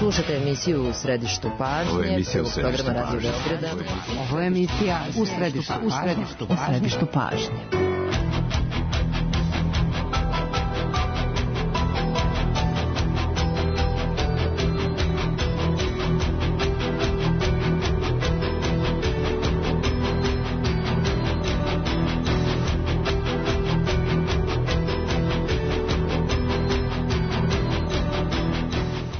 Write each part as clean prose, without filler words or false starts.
Slušajte emisiju U središtu pažnje, prvog programa Radio Beograda. Ovo je emisija U središtu pažnje.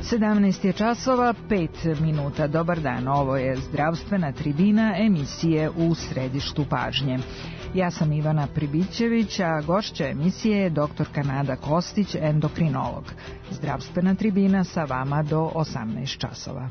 Sedamnaest je časova, 5 minuta. Dobar dan, ovo je zdravstvena tribina emisije U središtu pažnje. Ja sam Ivana Pribićević, a gošća emisije je doktorka Nada Kostić, endokrinolog. Zdravstvena tribina sa vama do 18 časova.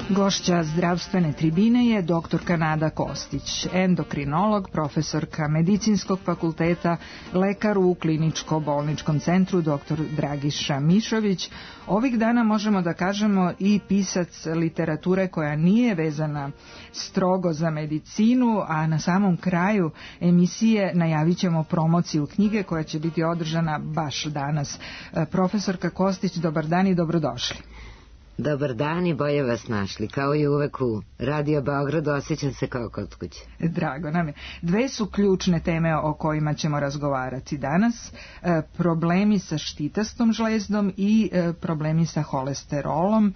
Gošća zdravstvene tribine je doktorka Nada Kostić, endokrinolog, profesorka Medicinskog fakulteta, lekar u kliničko-bolničkom centru dr. Dragiša Mišović. Ovih dana možemo da kažemo i pisac literature koja nije vezana strogo za medicinu, a na samom kraju emisije najavit ćemo promociju knjige koja će biti održana baš danas. Profesorka Kostić, dobar dan i dobrodošli. Dobar dan i bolje vas našli. Kao i uvek u Radio Beogradu osjećam se kao kod kuće. Drago nam je. Dve su ključne teme o kojima ćemo razgovarati danas. Problemi sa štitastom žlezdom i problemi sa holesterolom.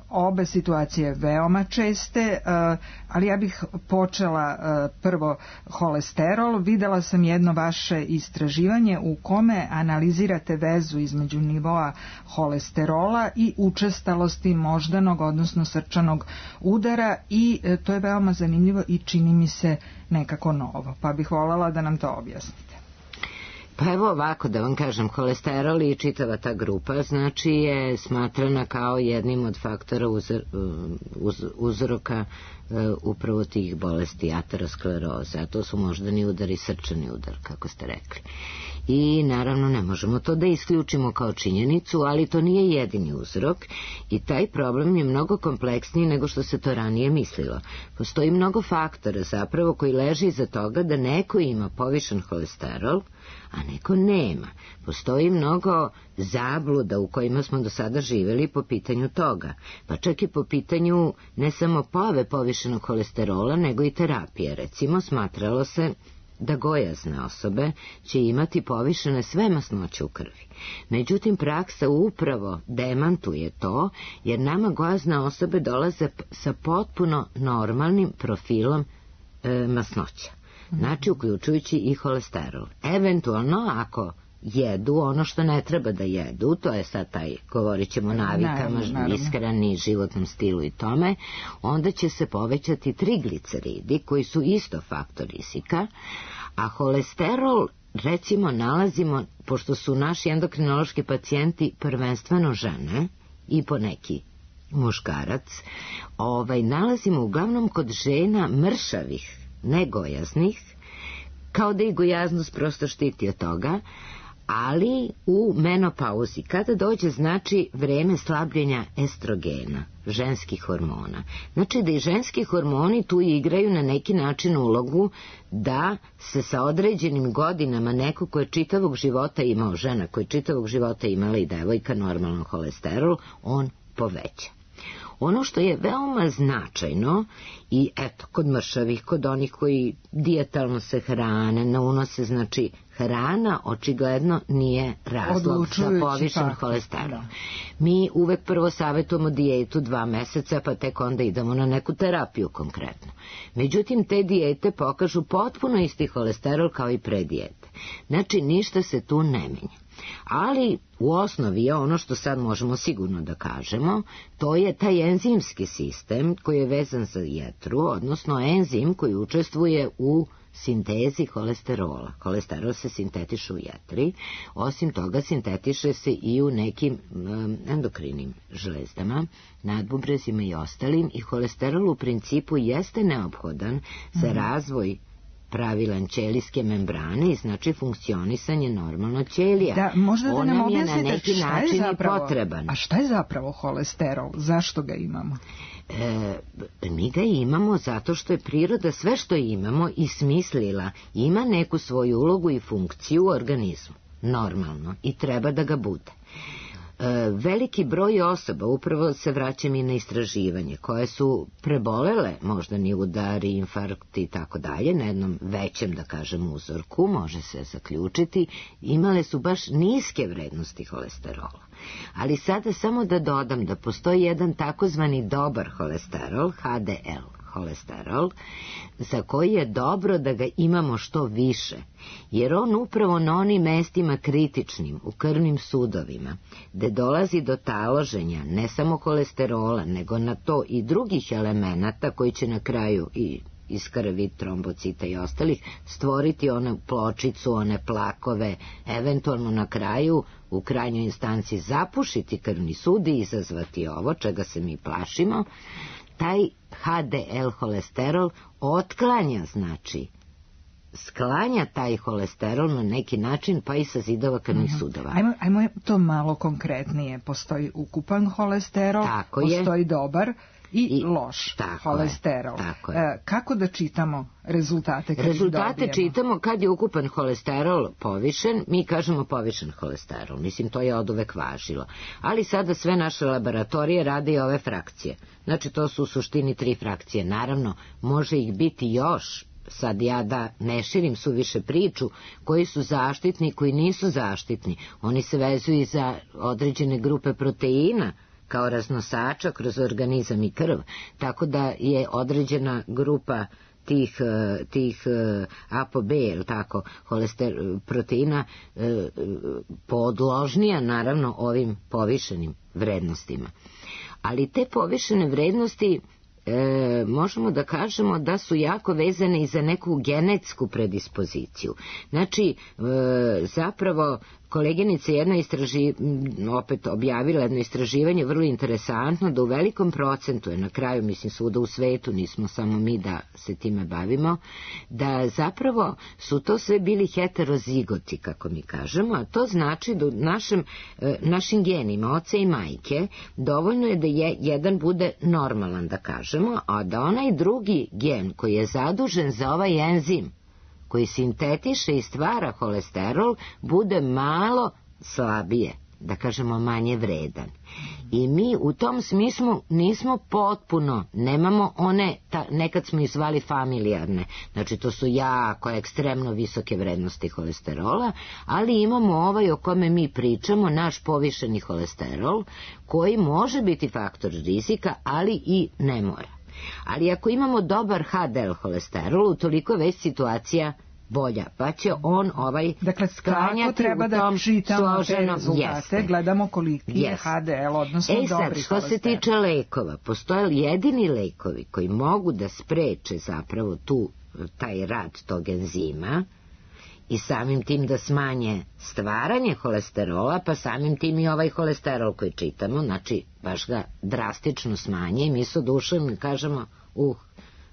Obe situacije veoma česte, ali ja bih počela prvo holesterol. Videla sam jedno vaše istraživanje u kome analizirate vezu između nivoa holesterola i učestalosti moždanog, odnosno srčanog udara, i to je veoma zanimljivo i čini mi se nekako novo, pa bih voljela da nam to objasnite. Pa evo ovako da vam kažem, holesterol i čitava ta grupa znači je smatrana kao jednim od faktora uzroka upravo tih bolesti ateroskleroze, a to su moždani udar i srčani udar, kako ste rekli. I naravno ne možemo to da isključimo kao činjenicu, ali to nije jedini uzrok i taj problem je mnogo kompleksniji nego što se to ranije mislilo. Postoji mnogo faktora zapravo koji leži iza toga da neko ima povišen holesterol, a neko nema. Postoji mnogo zabluda u kojima smo do sada živjeli po pitanju toga, pa čak i po pitanju ne samo pojave povišenog holesterola, nego i terapije. Recimo, smatralo se da gojazne osobe će imati povišene sve masnoće u krvi. Međutim, praksa upravo demantuje to, jer nama gojazne osobe dolaze sa potpuno normalnim profilom masnoća. Znači, uključujući i holesterol. Eventualno, ako jedu ono što ne treba da jedu, to je sad taj, govorit ćemo navikama, ishrani, životnom stilu i tome, onda će se povećati trigliceridi, koji su isto faktor rizika, a holesterol, recimo, nalazimo, pošto su naši endokrinološki pacijenti prvenstveno žene i poneki muškarac, nalazimo uglavnom kod žena mršavih, negojaznih, kao da i gojaznost prosto štiti od toga, ali u menopauzi, kada dođe znači vreme slabljenja estrogena, ženskih hormona. Znači da i ženski hormoni tu igraju na neki način ulogu da se sa određenim godinama neko ko je čitavog života imao, žena koja je čitavog života imala i devojka normalno holesterol, on poveća. Ono što je veoma značajno, i eto, kod mršavih, kod onih koji dijetalno se hrane, ne unose, znači hrana očigledno nije razlog za povišen holesterol. Mi uvek prvo savjetujemo dijetu 2 meseca, pa tek onda idemo na neku terapiju konkretno. Međutim, te dijete pokažu potpuno isti holesterol kao i pre dijete. Znači, ništa se tu ne menja. Ali u osnovi je ono što sad možemo sigurno da kažemo, to je taj enzimski sistem koji je vezan za jetru, odnosno enzim koji učestvuje u sintezi holesterola. Holesterol se sintetiše u jetri, osim toga sintetiše se i u nekim endokrinim žlezdama, nadbubrezima i ostalim, i holesterol u principu jeste neophodan za razvoj pravilan ćelijske membrane i znači funkcionisanje normalno ćelija. Da, možda da nam objasnite na neki način zapravo, potreban. A šta je zapravo holesterol? Zašto ga imamo? Mi ga imamo zato što je priroda sve što imamo i smislila, ima neku svoju ulogu i funkciju u organizmu. Normalno. I treba da ga bude. Veliki broj osoba, upravo se vraćam i na istraživanje, koje su prebolele moždani udari, infarkti i tako dalje, na jednom većem, da kažem, uzorku, može se zaključiti, imale su baš niske vrednosti holesterola. Ali sada samo da dodam da postoji jedan takozvani dobar holesterol, HDL holesterol, za koji je dobro da ga imamo što više, jer on upravo na onim mestima kritičnim, u krvnim sudovima, gde dolazi do taloženja ne samo holesterola, nego na to i drugih elemenata koji će na kraju i iz krvi, trombocita i ostalih, stvoriti onu pločicu, one plakove, eventualno na kraju, u krajnjoj instanci zapušiti krvni sud i izazvati ovo, čega se mi plašimo. Taj HDL holesterol otklanja, znači, sklanja taj holesterol na neki način, pa i sa zidova krvnih sudova. Ajmo to malo konkretnije. Postoji ukupan holesterol, postoji dobar i loš holesterol. Kako da čitamo rezultate? Rezultate čitamo kad je ukupan holesterol povišen, mi kažemo povišen holesterol. Mislim, to je oduvek važilo. Ali sada sve naše laboratorije rade i ove frakcije. Znači, to su u suštini 3 frakcije. Naravno, može ih biti još. Sad ja da ne širim suviše priču, koji su zaštitni, koji nisu zaštitni. Oni se vezuju i za određene grupe proteina, kao raznosača kroz organizam i krv, tako da je određena grupa tih ApoB, tako, proteina podložnija naravno ovim povišenim vrednostima. Ali te povišene vrednosti možemo da kažemo da su jako vezane i za neku genetsku predispoziciju. Znači, zapravo, koleginica jedna opet objavila jedno istraživanje vrlo interesantno, da u velikom procentu je na kraju, mislim, svuda u svetu, nismo samo mi da se time bavimo, da zapravo su to sve bili heterozigoti, kako mi kažemo, a to znači da u našim genima, oca i majke, dovoljno je da jedan bude normalan, da kažemo, a da onaj drugi gen koji je zadužen za ovaj enzim, koji sintetiše i stvara holesterol, bude malo slabije, da kažemo manje vredan. I mi u tom smislu nismo potpuno, nemamo one, nekad smo ih zvali familijarne, znači to su jako ekstremno visoke vrednosti holesterola, ali imamo ovaj o kome mi pričamo, naš povišeni holesterol, koji može biti faktor rizika, ali i ne mora. Ali ako imamo dobar HDL holesterol, utoliko je već situacija bolja, pa će on sklanjati treba u tom da čitamo te rezultate, gledamo koliki je HDL, odnosno dobri holesterol. Što se tiče lekova, postoje jedini lekovi koji mogu da spreče zapravo taj rad tog enzima i samim tim da smanje stvaranje holesterola, pa samim tim i ovaj holesterol koji čitamo, znači baš ga drastično smanje i mi sa dušom kažemo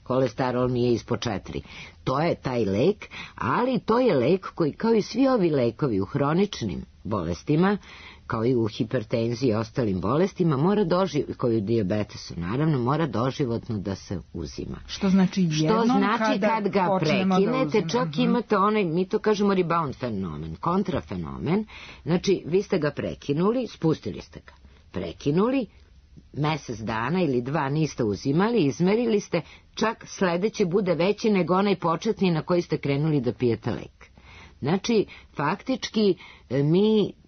holesterol nije ispod 4. To je taj lek, ali to je lek koji, kao i svi ovi lekovi u hroničnim bolestima, kao i u hipertenziji i ostalim bolestima, koji u dijabetesu, naravno, mora doživotno da se uzima. Što znači kad ga prekinete, čak imate onaj, mi to kažemo rebound fenomen, kontrafenomen, znači vi ste ga prekinuli, spustili ste ga, prekinuli, mesec dana ili 2 niste uzimali, izmerili ste, čak sledeće bude veći nego onaj početni na koji ste krenuli da pijete lek. Znači, faktički,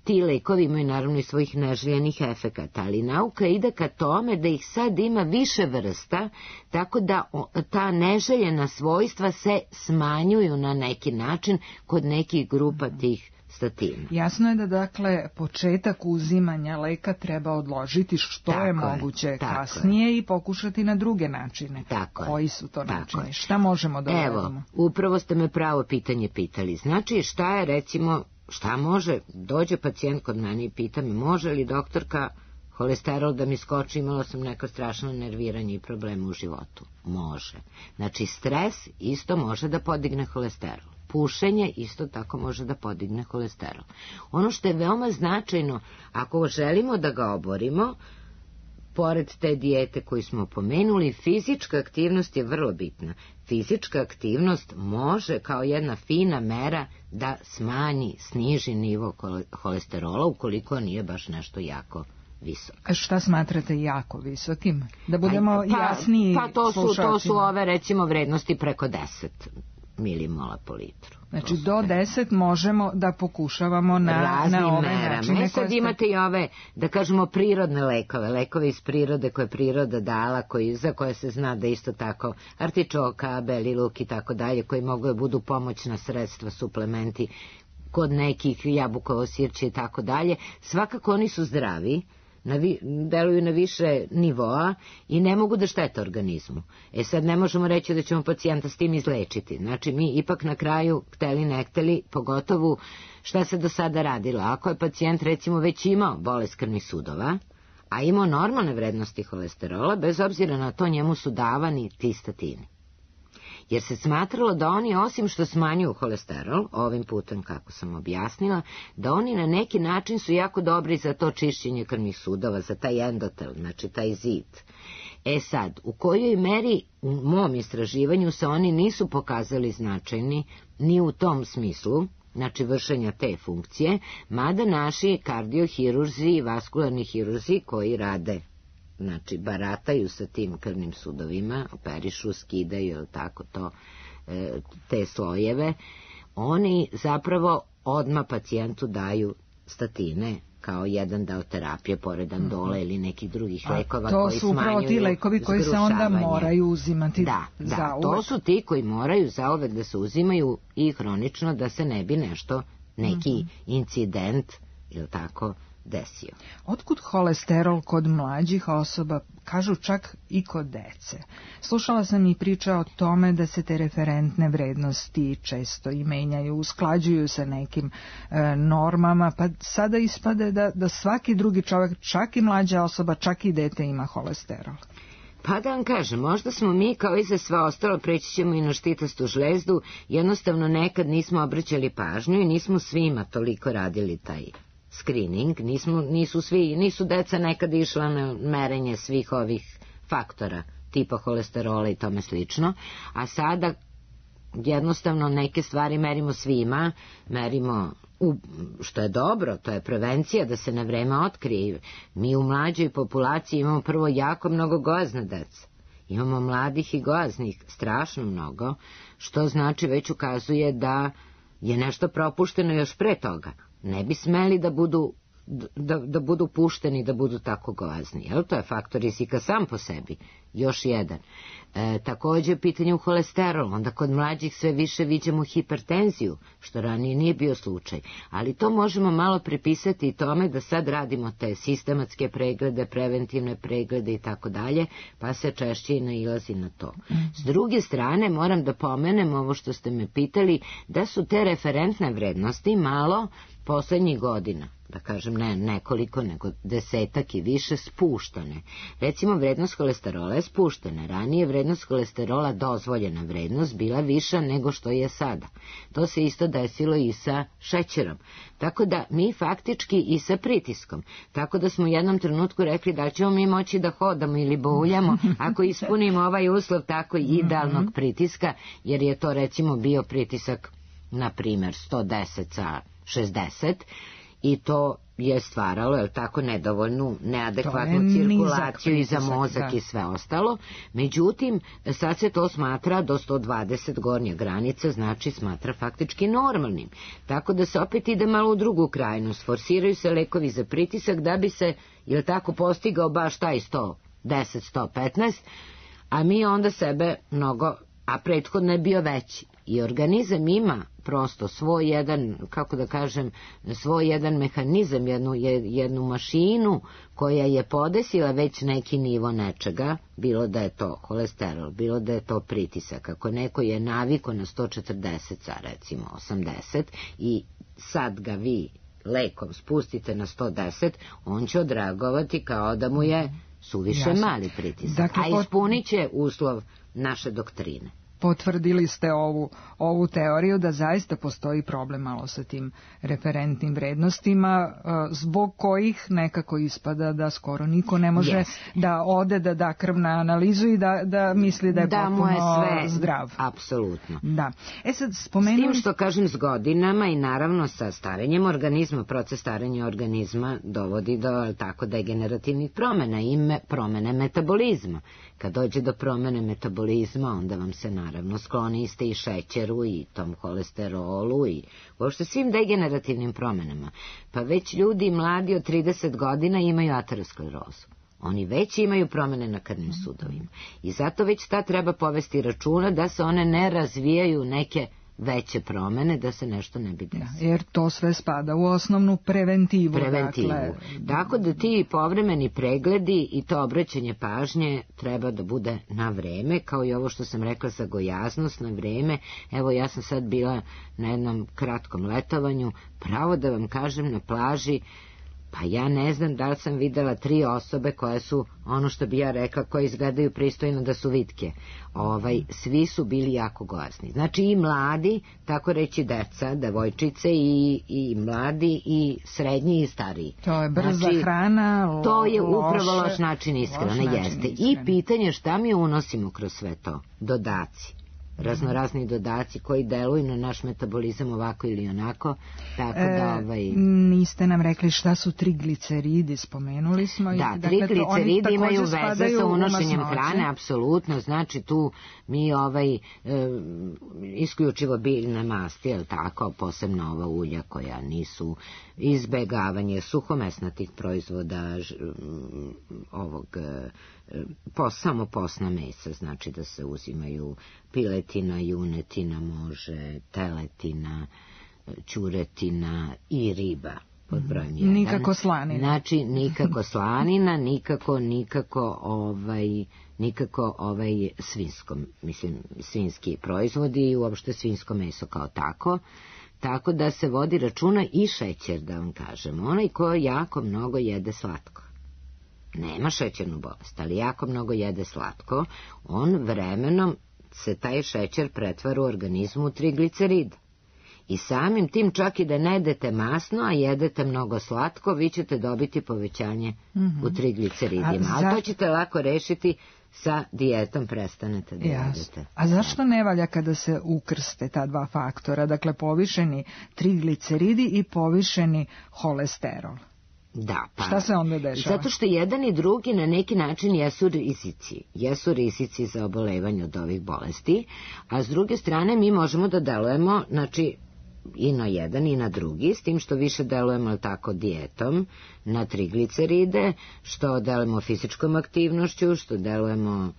ti lekovi imaju naravno i svojih neželjenih efekata, ali nauka ide ka tome da ih sad ima više vrsta, tako da ta neželjena svojstva se smanjuju na neki način kod nekih grupa tih statina. Jasno je da, dakle, početak uzimanja leka treba odložiti što je moguće kasnije i pokušati na druge načine. Koji su to načini? Šta možemo da uradimo? Evo, upravo ste me pravo pitanje pitali. Znači, šta je, recimo, šta može, dođe pacijent kod mene i pita me, može li doktorka holesterol da mi skoči, imala sam neko strašno nerviranje i probleme u životu? Može. Znači, stres isto može da podigne holesterol. Pušenje isto tako može da podigne holesterol. Ono što je veoma značajno, ako želimo da ga oborimo, pored te dijete koju smo pomenuli, fizička aktivnost je vrlo bitna. Fizička aktivnost može kao jedna fina mera da sniži nivo holesterola ukoliko nije baš nešto jako visok. A šta smatrate jako visokim? Da budemo jasniji slušalcima. To su ove, recimo, vrednosti preko 10 milimola po litru. Znači do 10 možemo da pokušavamo na ove načine. Sad imate i ove, da kažemo, prirodne lekove iz prirode koje je priroda dala, za koje se zna da isto tako artičoka, beli luk i tako dalje, koji mogu da budu pomoćna sredstva, suplementi, kod nekih jabukovo sirće i tako dalje. Svakako oni su zdravi, deluju na više nivoa i ne mogu da štete organizmu. Sad ne možemo reći da ćemo pacijenta s tim izlečiti. Znači mi ipak na kraju, hteli ne hteli, pogotovo šta se do sada radilo. Ako je pacijent recimo već imao bolest krvnih sudova, a imao normalne vrednosti holesterola, bez obzira na to njemu su davani ti statini. Jer se smatralo da oni, osim što smanjuju holesterol, ovim putem kako sam objasnila, da oni na neki način su jako dobri za to čišćenje krvnih sudova, za taj endotel, znači taj zid. Sad, u kojoj meri u mom istraživanju se oni nisu pokazali značajni ni u tom smislu, znači vršenja te funkcije, mada naši kardiohirurzi i vaskularni hirurzi koji rade, znači barataju sa tim krvnim sudovima, operišu, skidaju tako to, te slojeve, oni zapravo odmah pacijentu daju statine kao jedan deo terapije, pored andole ili nekih drugih lekova koji smanjuju zgrušavanje. To su upravo ti lekovi koji se onda moraju uzimati da, to su ti koji moraju zauvek da se uzimaju i hronično, da se ne bi nešto, neki incident ili tako desio. Otkud holesterol kod mlađih osoba, kažu čak i kod dece? Slušala sam i priča o tome da se te referentne vrednosti često i menjaju, usklađuju se nekim normama, pa sada ispade da svaki drugi čovjek, čak i mlađa osoba, čak i dete ima holesterol. Pa da vam kažem, možda smo mi kao i za sve ostalo, preći ćemo i na štitastu žlezdu, jednostavno nekad nismo obraćali pažnju i nismo svima toliko radili taj screening, nisu deca nekad išla na merenje svih ovih faktora tipa holesterola i tome slično, a sada jednostavno neke stvari merimo svima, merimo što je dobro, to je prevencija da se na vreme otkrije. Mi u mlađoj populaciji imamo prvo jako mnogo gojazne dece, imamo mladih i gojaznih strašno mnogo, što znači već ukazuje da je nešto propušteno još pre toga. Ne bi smeli da budu pušteni, da budu tako gojazni. To je faktor rizika sam po sebi. Još jedan. Također pitanje u holesterolu. Onda kod mlađih sve više viđamo hipertenziju, što ranije nije bio slučaj. Ali to možemo malo pripisati i tome da sad radimo te sistematske preglede, preventivne preglede i tako dalje, pa se češće i nailazi na to. S druge strane, moram da pomenem ovo što ste me pitali, da su te referentne vrednosti malo poslednjih godina, da kažem ne nekoliko, nego 10 i više, spuštane. Recimo, vrednost holesterola je spuštena. Ranije vrednost holesterola, dozvoljena vrednost, bila viša nego što je sada. To se isto desilo i sa šećerom. Tako da mi faktički i sa pritiskom. Tako da smo u jednom trenutku rekli da ćemo mi moći da hodamo ili bauljamo ako ispunimo ovaj uslov tako idealnog pritiska, jer je to recimo bio pritisak, na primjer, 110 sa 60, i to je stvaralo, je tako, nedovoljnu, neadekvatnu cirkulaciju i za mozak i sve ostalo. Međutim, sad se to smatra do 120 gornja granica, znači smatra faktički normalnim. Tako da se opet ide malo u drugu krajnost. Forsiraju se lekovi za pritisak da bi se, je tako, postigao baš taj 110, 115, a mi onda sebe mnogo, a prethodno je bio veći. I organizam ima prosto svoj jedan, kako da kažem, svoj jedan mehanizam, jednu mašinu koja je podesila već neki nivo nečega, bilo da je to holesterol, bilo da je to pritisak. Ako neko je naviko na 140, recimo 80, i sad ga vi lekom spustite na 110, on će odreagovati kao da mu je suviše mali pritisak. Dakle, a ispunit će uslov naše doktrine. Potvrdili ste ovu teoriju da zaista postoji problem malo sa tim referentnim vrednostima, zbog kojih nekako ispada da skoro niko ne može da ode da da krv na analizu i da misli da je potpuno sve zdrav. Apsolutno. Da. Sad spomenuli... S tim što kažem, s godinama i naravno sa starenjem organizma, proces starenja organizma dovodi do tako degenerativnih promena i promene metabolizma. Kad dođe do promene metabolizma, onda vam se naravno skloniste i šećeru i tom holesterolu i uopšte svim degenerativnim promenama. Pa već ljudi mladi od 30 godina imaju aterosklerozu. Oni već imaju promene na krvnim sudovima. I zato već treba povesti računa da se one ne razvijaju neke veće promene, da se nešto ne bi desilo. Jer to sve spada u osnovnu preventivu. Tako da ti povremeni pregledi i to obraćanje pažnje treba da bude na vreme, kao i ovo što sam rekla za gojaznost, na vreme. Evo, ja sam sad bila na jednom kratkom letovanju, pravo da vam kažem, na plaži, pa ja ne znam da li sam videla 3 osobe koje su, ono što bi ja rekla, koje izgledaju pristojno da su vitke. Svi su bili jako gojazni. Znači i mladi, tako reći deca, devojčice, i mladi, i srednji, i stariji. To je brza hrana, to je upravo loš način ishrane, jeste. I pitanje šta mi unosimo kroz sve to? Dodaci. Raznorazni dodaci koji deluju na naš metabolizam ovako ili onako, tako da Niste nam rekli šta su trigliceridi, spomenuli smo. Da, trigliceridi imaju veze sa unošenjem hrane, apsolutno, znači tu mi isključivo biljne masti, jel tako, posebno ova ulja koja nisu, izbegavanje suhomesnatih proizvoda, samo posna mesa, znači da se uzimaju piletina, junetina, može, teletina, ćuretina i riba pod brojem 1. Nikako slanina. Znači nikako slanina, nikako svinsko, mislim svinski proizvodi i uopšte svinsko meso kao tako. Tako da se vodi računa i šećer, da vam kažem. Onaj ko jako mnogo jede slatko, nema šećernu bolest, ali jako mnogo jede slatko, on vremenom se taj šećer pretvara u organizmu u trigliceride. I samim tim, čak i da ne jedete masno, a jedete mnogo slatko, vi ćete dobiti povećanje u trigliceridima. Ali to ćete lako rešiti sa dijetom, prestanete da jedete. A zašto ne valja kada se ukrste ta dva faktora, dakle povišeni trigliceridi i povišeni holesterol? Da, pa, šta se onda dešava? Zato što jedan i drugi na neki način jesu rizici za obolevanje od ovih bolesti, a s druge strane mi možemo da delujemo, znači, i na jedan i na drugi, s tim što više delujemo tako dijetom na trigliceride, što delujemo fizičkom aktivnošću, što delujemo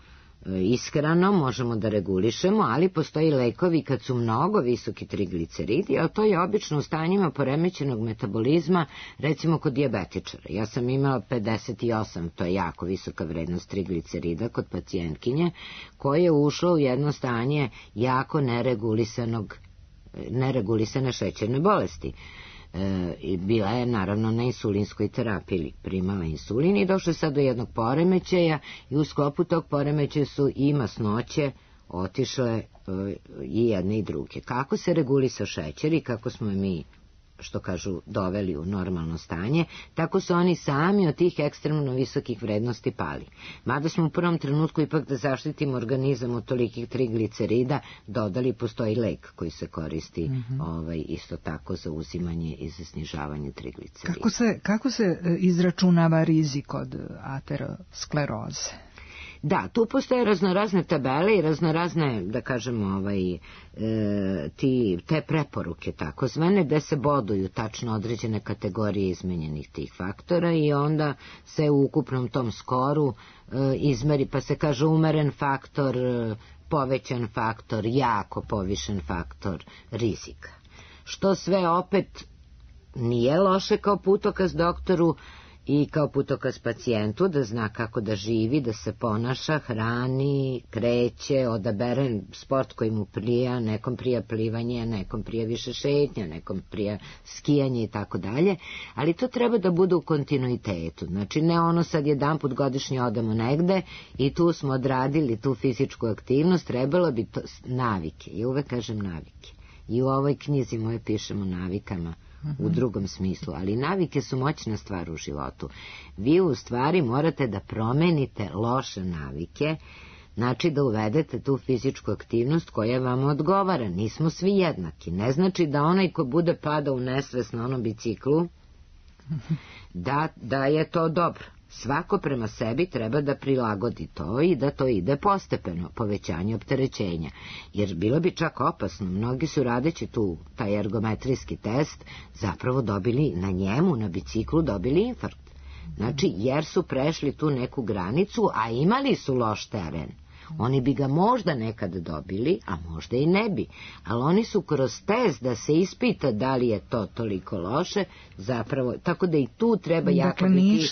ishranom, možemo da regulišemo, ali postoji lekovi kad su mnogo visoki trigliceridi, a to je obično u stanjima poremećenog metabolizma, recimo kod dijabetičara. Ja sam imala 58, to je jako visoka vrednost triglicerida kod pacijentkinje, koja je ušla u jedno stanje jako neregulisane šećerne bolesti. Bila je naravno na insulinskoj terapiji, primala insulin i došla sad do jednog poremećaja i u sklopu tog poremećaja su i masnoće otišle i jedne i druge. Kako se regulisao šećer i kako smo mi, što kažu, doveli u normalno stanje, tako su oni sami od tih ekstremno visokih vrednosti pali. Mada smo u prvom trenutku ipak da zaštitimo organizam od tolikih triglicerida dodali, postoji lek koji se koristi isto tako za uzimanje i za snižavanje triglicerida. Kako se izračunava rizik od ateroskleroze? Da, tu postoje raznorazne tabele i raznorazne, da kažemo, te preporuke takozvane, gde se boduju tačno određene kategorije izmenjenih tih faktora i onda se u ukupnom tom skoru izmeri, pa se kaže umeren faktor povećan faktor, jako povišen faktor rizika. Što sve opet nije loše kao putokaz doktoru i kao putokaz pacijentu, da zna kako da živi, da se ponaša, hrani, kreće, odabere sport koji mu prija, nekom prija plivanje, nekom prija više šetnja, nekom prija skijanje i tako dalje, ali to treba da bude u kontinuitetu, znači ne ono sad jedanput godišnje odemo negde i tu smo odradili tu fizičku aktivnost, trebalo bi to navike, i uvek kažem navike, i u ovoj knjizi moje pišemo navikama, u drugom smislu, ali navike su moćna stvar u životu. Vi u stvari morate da promenite loše navike, znači da uvedete tu fizičku aktivnost koja vam odgovara. Nismo svi jednaki. Ne znači da onaj ko bude padao u nesvest na onom biciklu, da je to dobro. Svako prema sebi treba da prilagodi to i da to ide postepeno, povećanje opterećenja. Jer bilo bi čak opasno, mnogi su radeći tu taj ergometrijski test zapravo dobili na njemu, na biciklu dobili infarkt. Znači jer su prešli tu neku granicu, a imali su loš teren. Oni bi ga možda nekad dobili, a možda i ne bi. Ali oni su kroz test da se ispita da li je to toliko loše, zapravo, tako da i tu treba jako biti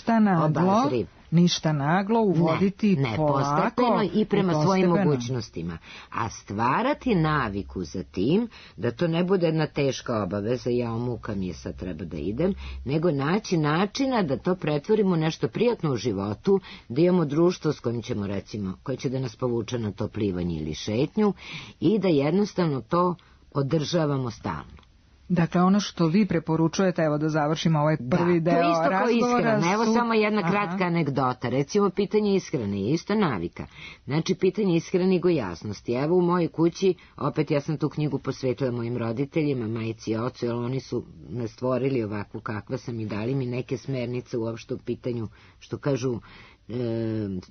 obazriv. Ništa naglo, uvoditi polako. Postepeno i prema svojim mogućnostima. A stvarati naviku za tim, da to ne bude jedna teška obaveza, ja muka mi je sad treba da idem, nego naći načina da to pretvorimo u nešto prijatno u životu, da imamo društvo s kojim ćemo recimo, koje će da nas povuče na to plivanje ili šetnju i da jednostavno to održavamo stalno. Dakle, ono što vi preporučujete, evo da završimo ovaj prvi deo razgovora. To isto kao ishrana. Evo samo jedna kratka anegdota. Recimo, pitanje ishrane je isto navika. Znači, pitanje ishrane i gojaznosti. Evo u mojoj kući, opet ja sam tu knjigu posvetila mojim roditeljima, majici i ocu, jer oni su me stvorili ovakvu kakva sam i dali mi neke smernice uopšte u pitanju, što kažu,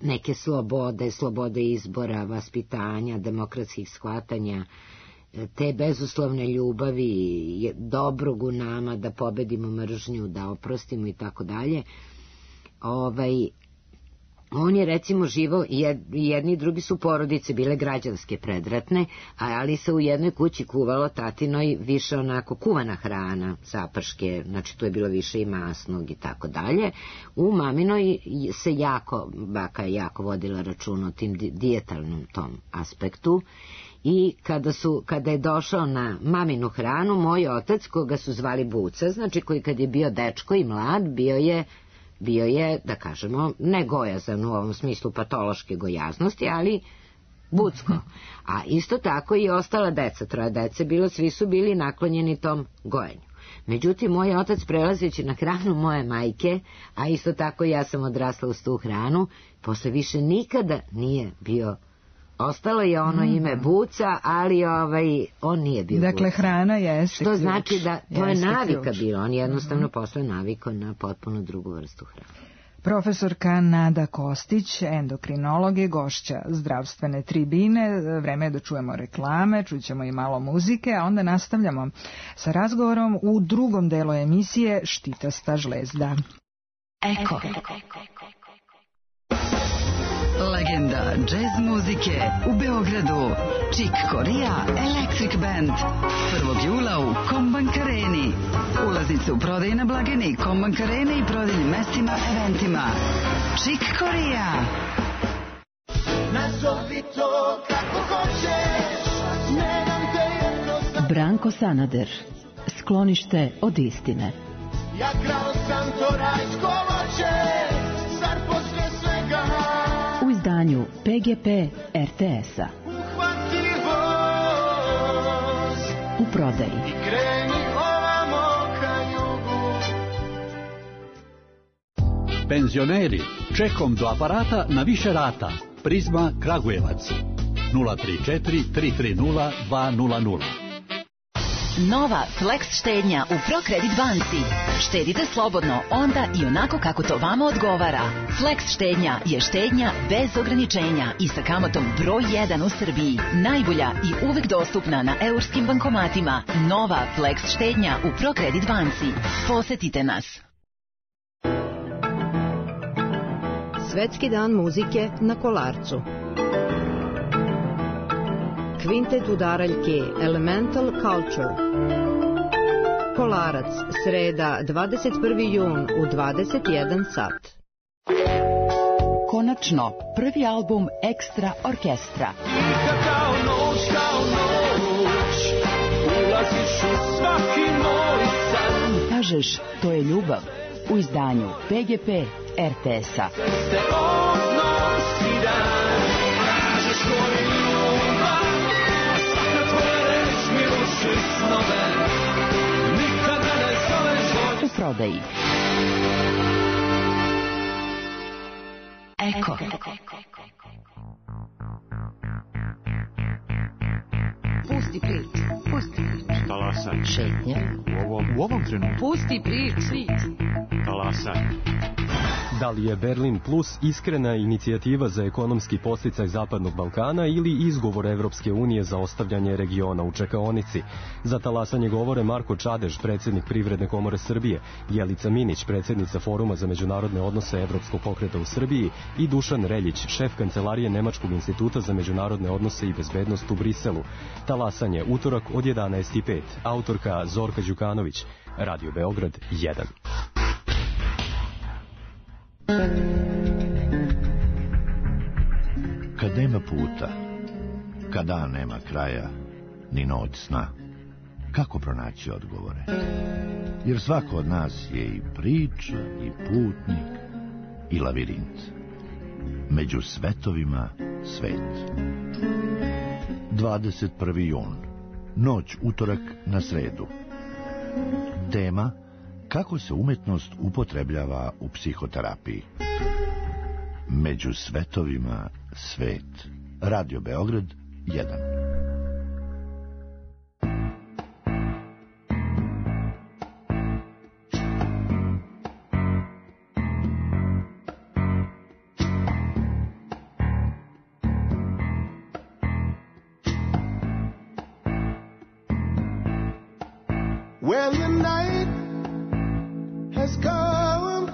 neke slobode izbora, vaspitanja, demokratskih shvatanja, te bezuslovne ljubavi, dobrog u nama, da pobedimo mržnju, da oprostimo i tako dalje. On je recimo živo, jedni i drugi su porodice bile građanske predratne, ali se u jednoj kući kuvalo tatinoj više onako kuvana hrana, zaprške, znači tu je bilo više i masnog i tako dalje. U maminoj se baka je jako vodila račun o tim dijetalnom tom aspektu. I kada je došao na maminu hranu, moj otac, koga su zvali Buca, znači koji kad je bio dečko i mlad, bio je, da kažemo, ne gojazan u ovom smislu patološke gojaznosti, ali bucko. A isto tako i ostala deca, 3 dece bilo, svi su bili naklonjeni tom gojenju. Međutim, moj otac prelazeći na hranu moje majke, a isto tako ja sam odrasla uz tu hranu, posle više nikada nije bio. Ostalo je ono ime Buca, ali on nije bio Buca. Dakle, hrana jeste što ključ. Znači da to je navika bila. On jednostavno posle navikao na potpuno drugu vrstu hrane. Profesorka Nada Kostić, endokrinolog, je gošća zdravstvene tribine. Vreme je da čujemo reklame, čućemo i malo muzike, a onda nastavljamo sa razgovorom u drugom delu emisije Štitasta žlezda. Eko. Legenda džez muzike u Beogradu. Chick Corea Electric Band. 1. jula u Kombank Areni. Ulaznice u prodaji na blagajni Kombank Arene i prodajnim mestima, eventima. Chick Corea. Nazovi to kako hoćeš. Branko Sanader. Sklonište od istine. Ja krao sam to rajsko voće. Zar posle svega u izdanju PGP RTS-a. U prodaji. Penzioneri, čekom do aparata na više rata. Prizma Kragujevac 034 330 200. Nova Flex štednja u ProCredit banci. Štedite slobodno onda i onako kako to vama odgovara. Flex štednja je štednja bez ograničenja i sa kamatom broj 1 u Srbiji. Najbolja i uvek dostupna na eurskim bankomatima. Nova Flex štednja u ProCredit banci. Posetite nas. Svetski dan muzike na Kolarcu. Kvintet udaraljke Elemental Culture. Kolarac, sreda, 21. jun u 21 sat. Konačno, prvi album Ekstra orkestra. Kao noć, ulaziš u svaki moj san. Kažeš, to je ljubav, u izdanju PGP RTS-a. Sve odnosi dan, kažeš to je ljubav, svaka tvoja reč mi ruši snove, nikada ne zoveš od... U prodaji. Eko. Pusti priču. Talasaj. Šetnja. U ovom trenutku. Pusti priču. Talasaj. Da li je Berlin Plus iskrena inicijativa za ekonomski podsticaj Zapadnog Balkana ili izgovor Evropske unije za ostavljanje regiona u čekaonici? Za talasanje govore Marko Čadež, predsjednik Privredne komore Srbije, Jelica Minić, predsjednica Foruma za međunarodne odnose Evropskog pokreta u Srbiji i Dušan Reljić, šef kancelarije Nemačkog instituta za međunarodne odnose i bezbednost u Briselu. Talasanje, utorak od 11:05. Autorka Zorka Đukanović. Radio Beograd 1. Kad nema puta, kad dan nema kraja, ni noć sna, kako pronaći odgovore? Jer svako od nas je i priča, i putnik, i lavirint. Među svetovima svet. 21. jun. Noć utorak na sredu. Tema: kako se umetnost upotrebljava u psihoterapiji. Među svetovima svet. Radio Beograd 1. When the night has come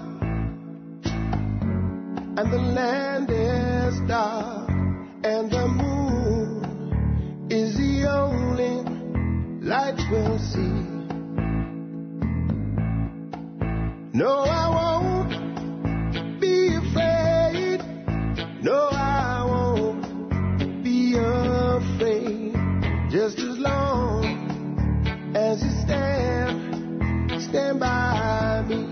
and the land is dark and the moon is the only light we'll see. No, I won't be afraid. No, I won't be afraid. Just as long as you stand by me.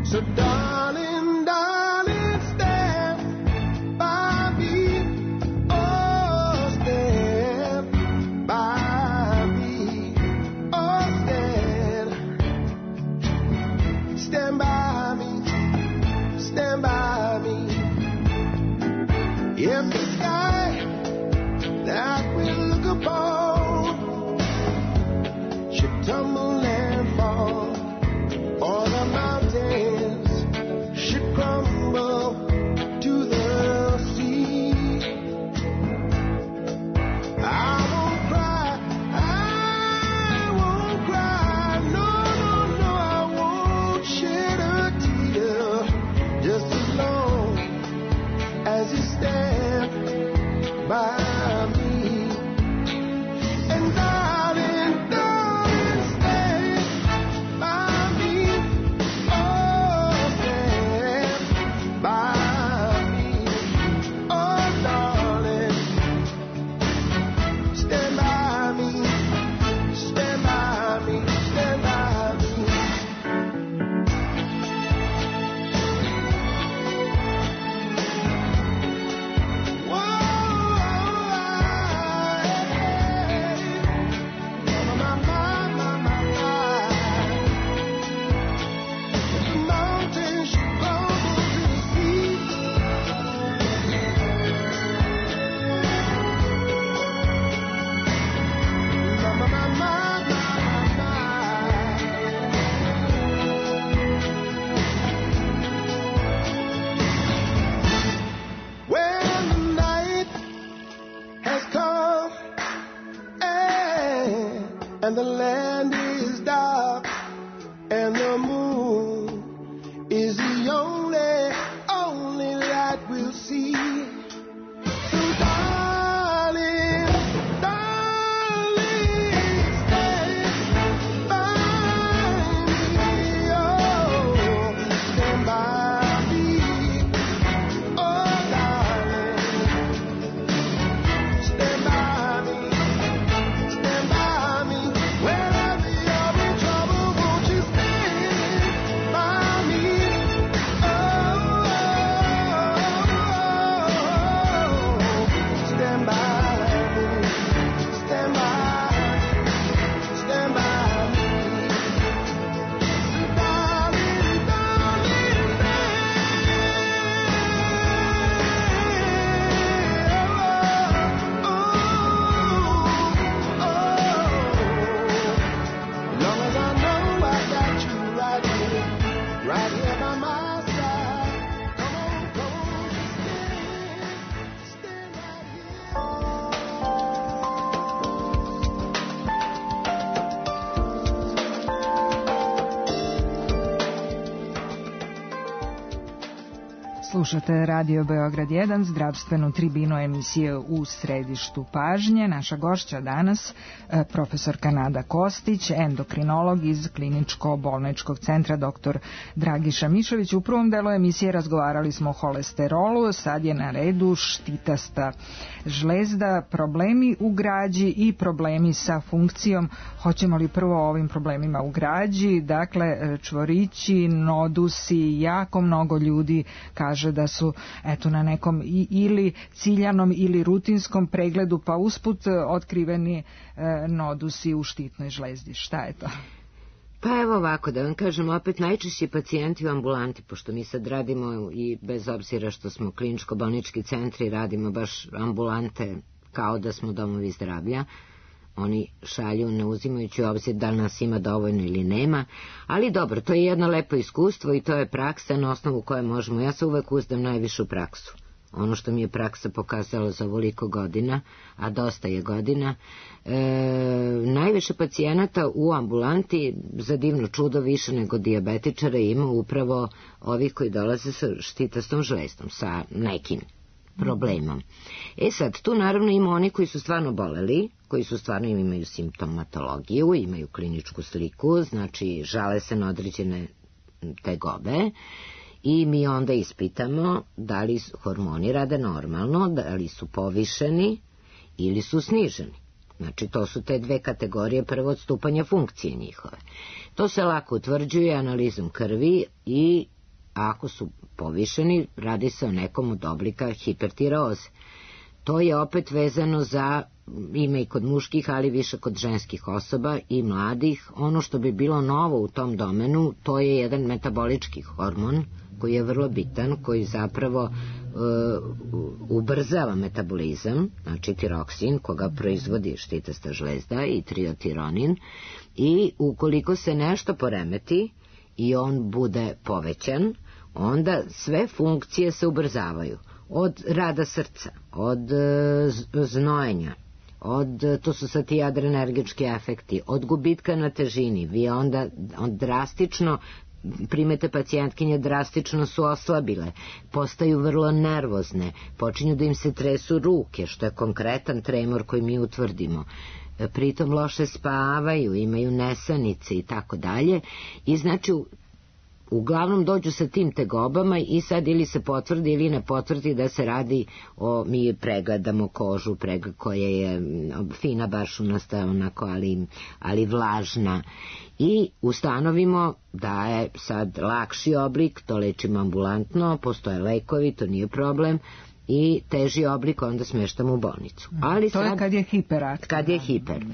So darling, darling, stand by me. Oh, stand by me. Oh, stand by me. Stand by me. If the sky that we look upon should tumble and fall, or the mountains should crumble to the sea, I won't cry, no, no, no, I won't shed a Slušate Radio Beograd 1, zdravstvenu tribinu emisije U središtu pažnje. Naša gošća danas, profesorka Nada Kostić, endokrinolog iz Kliničko-bolničkog centra dr. Dragiša Mišović. U prvom delu emisije razgovarali smo o holesterolu, sad je na redu štitasta žlezda, problemi u građi i problemi sa funkcijom. Hoćemo li prvo o ovim problemima u građi? Dakle, čvorići, nodusi, jako mnogo ljudi kaže da su na nekom ili ciljanom ili rutinskom pregledu pa usput otkriveni nodusi u štitnoj žlezdi. Šta je to? Pa evo ovako, da vam kažem, opet najčešći pacijenti u ambulanti, pošto mi sad radimo i bez obzira što smo kliničko-bolnički centri, radimo baš ambulante kao da smo domovi zdravlja. Oni šalju ne uzimajući u obzir da li nas ima dovoljno ili nema, ali dobro, to je jedno lepo iskustvo i to je praksa na osnovu koje možemo. Ja se uvek uzdam najviše u praksu. Ono što mi je praksa pokazala za ovoliko godina, a dosta je godina, najviše pacijenata u ambulanti, za divno čudo više nego dijabetičara, ima upravo ovih koji dolaze sa štitastom žlezdom, sa nekim problemom. Sad, tu naravno ima oni koji su stvarno boleli, koji su stvarno imaju simptomatologiju, imaju kliničku sliku, znači žale se na određene tegobe i mi onda ispitamo da li hormoni rade normalno, da li su povišeni ili su sniženi. Znači, to su te dve kategorije prvo odstupanja funkcije njihove. To se lako utvrđuje analizom krvi i ako su povišeni, radi se o nekom od oblika hipertireoze. To je opet vezano za, ima i kod muških, ali više kod ženskih osoba i mladih. Ono što bi bilo novo u tom domenu, to je jedan metabolički hormon koji je vrlo bitan, koji zapravo ubrzava metabolizam, znači tiroksin, koga proizvodi štitasta žlezda, i triotironin, i ukoliko se nešto poremeti i on bude povećan, onda sve funkcije se ubrzavaju. Od rada srca, od znojenja, to su sad ti adrenergički efekti, od gubitka na težini. Vi onda drastično, primete pacijentkinje, drastično su oslabile, postaju vrlo nervozne, počinju da im se tresu ruke, što je konkretan tremor koji mi utvrdimo. Pritom loše spavaju, imaju nesanice i tako dalje. I znači, uglavnom dođu sa tim tegobama i sad ili se potvrdi ili ne potvrdi da se radi o, mi pregledamo kožu, koja je fina, bašunasta, onako, ali vlažna, i ustanovimo da je sad lakši oblik, to lečimo ambulantno, postoje lekovi, to nije problem, i teži oblik onda smeštamo u bolnicu. Ali to je kad je hiperaktivno. Kad je hiper.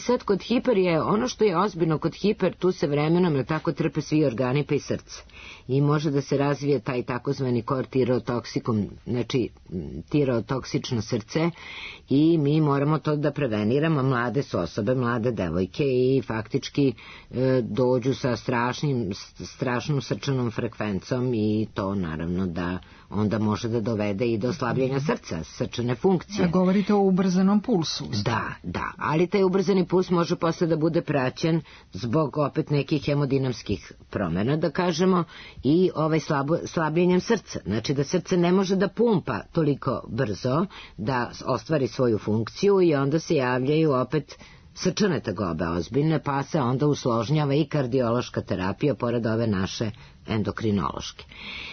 Sad kod hiper je, ono što je ozbiljno kod hiper, tu se vremenom tako trpe svi organi pa i srce. I može da se razvije taj takozvani tirotoksikum, znači tirotoksično srce, i mi moramo to da preveniramo. Mlade su osobe, mlade devojke, i faktički dođu sa strašnom srčanom frekvencom, i to naravno da onda može da dovede i do slabljenja srca, srčane funkcije. Da govorite o ubrzanom pulsu. Da, ali taj ubrzani puls može posle da bude praćen zbog opet nekih hemodinamskih promjena, da kažemo, i slabljenjem srca. Znači da srce ne može da pumpa toliko brzo da ostvari svoju funkciju, i onda se javljaju opet srčane tegobe ozbiljne, pa se onda usložnjava i kardiološka terapija pored ove naše endokrinološke.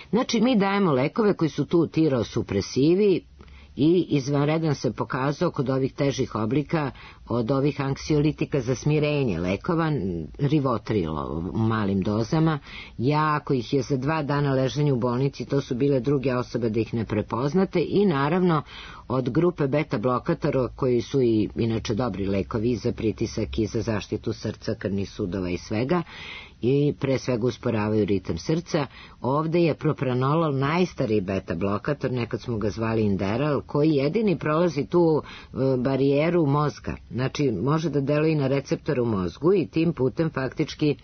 Znači, mi dajemo lekove koji su tu tirosupresivi, i izvanredan se pokazao kod ovih težih oblika od ovih anksiolitika za smirenje lekova, Rivotril u malim dozama. Ako ih je za 2 dana leženja u bolnici, to su bile druge osobe da ih ne prepoznate, i naravno od grupe beta blokatora, koji su i inače dobri lekovi za pritisak i za zaštitu srca, krvnih sudova i svega, i pre svega usporavaju ritam srca. Ovde je propranolol najstariji beta blokator, nekad smo ga zvali Inderal, koji jedini prolazi tu barijeru mozga. Znači, može da deluje i na receptor u mozgu, i tim putem faktički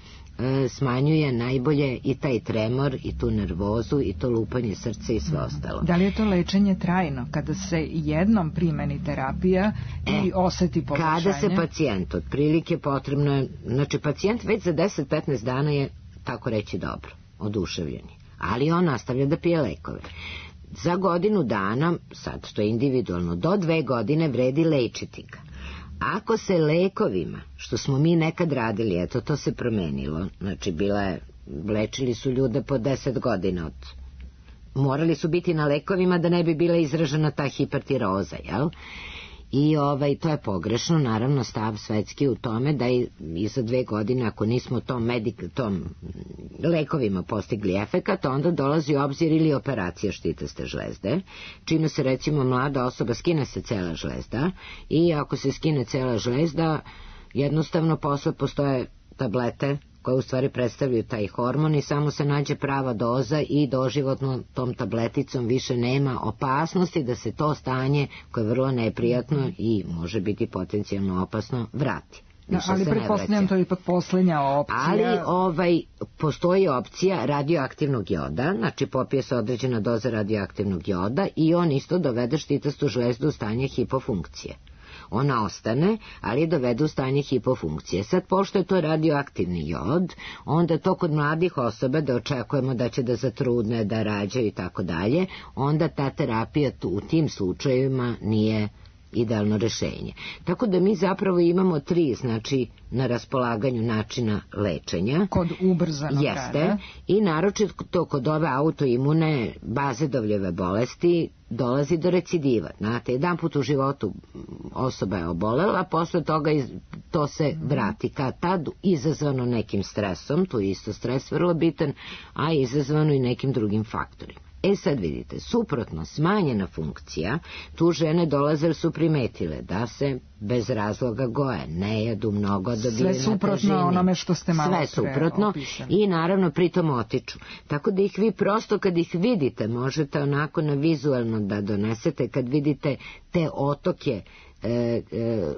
smanjuje najbolje i taj tremor, i tu nervozu, i to lupanje srca i sve ostalo. Da li je to lečenje trajno, kada se jednom primeni terapija i oseti poboljšanje? Kada se pacijent, otprilike potrebno je, znači pacijent već za 10-15 dana je, tako reći, dobro, oduševljeni. ali on nastavlja da pije lekove. Za godinu dana, sad to je individualno, do 2 godine vredi lečiti ga. Ako se lekovima, što smo mi nekad radili, eto to se promenilo, znači lečili su ljude po 10 godina morali su biti na lekovima da ne bi bila izražena ta hipertiroza, jel? I to je pogrešno, naravno stav svetski u tome da i za 2 godine ako nismo tom lekovima postigli efekat, onda dolazi u obzir ili operacija štitaste žlezde, čime se recimo mlada osoba skine se cela žlezda i ako se skine cela žlezda, jednostavno posle postoje tablete koje u stvari predstavljaju taj hormon i samo se nađe prava doza i doživotno tom tableticom više nema opasnosti da se to stanje, koje je vrlo neprijatno i može biti potencijalno opasno, vrati. Ali pretpostavljam to je ipak posljednja opcija. Ali postoji opcija radioaktivnog joda, znači popije se određena doza radioaktivnog joda i on isto dovede štitastu žlezdu u stanje hipofunkcije. Ona ostane, ali dovede u stanje hipofunkcije. Sad, pošto je to radioaktivni jod, onda to kod mladih osoba, da očekujemo da će da zatrudne, da rađaju i tako dalje, onda ta terapija u tim slučajevima nije idealno rešenje. Tako da mi zapravo imamo 3, znači, na raspolaganju načina lečenja. Kod ubrzanog rada. I naročito kod ove autoimune bazedovljeve bolesti dolazi do recidiva. Znate, jedan put u životu osoba je obolela, posle toga to se vrati kad tad, izazvano nekim stresom, tu je isto stres vrlo bitan, a izazvano i nekim drugim faktorima. Sad vidite, suprotno, smanjena funkcija, tu žene dolaze jer su primetile da se bez razloga goje, ne jedu mnogo, dobijaju na težini. Sve suprotno onome što ste malo pre Sve suprotno i naravno pritom otiču. Tako da ih vi prosto kad ih vidite, možete onako na vizualno da donesete, kad vidite te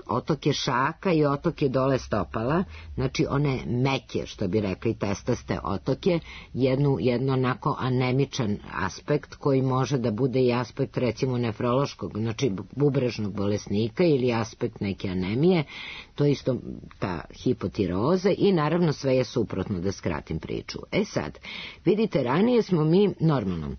otoke šaka i otoke dole stopala, znači one meke, što bi rekli testaste otoke, jedno onako anemičan aspekt koji može da bude i aspekt recimo nefrološkog, znači bubrežnog bolesnika ili aspekt neke anemije, to je isto ta hipotiroza i naravno sve je suprotno, da skratim priču. Sad, vidite, ranije smo mi normalno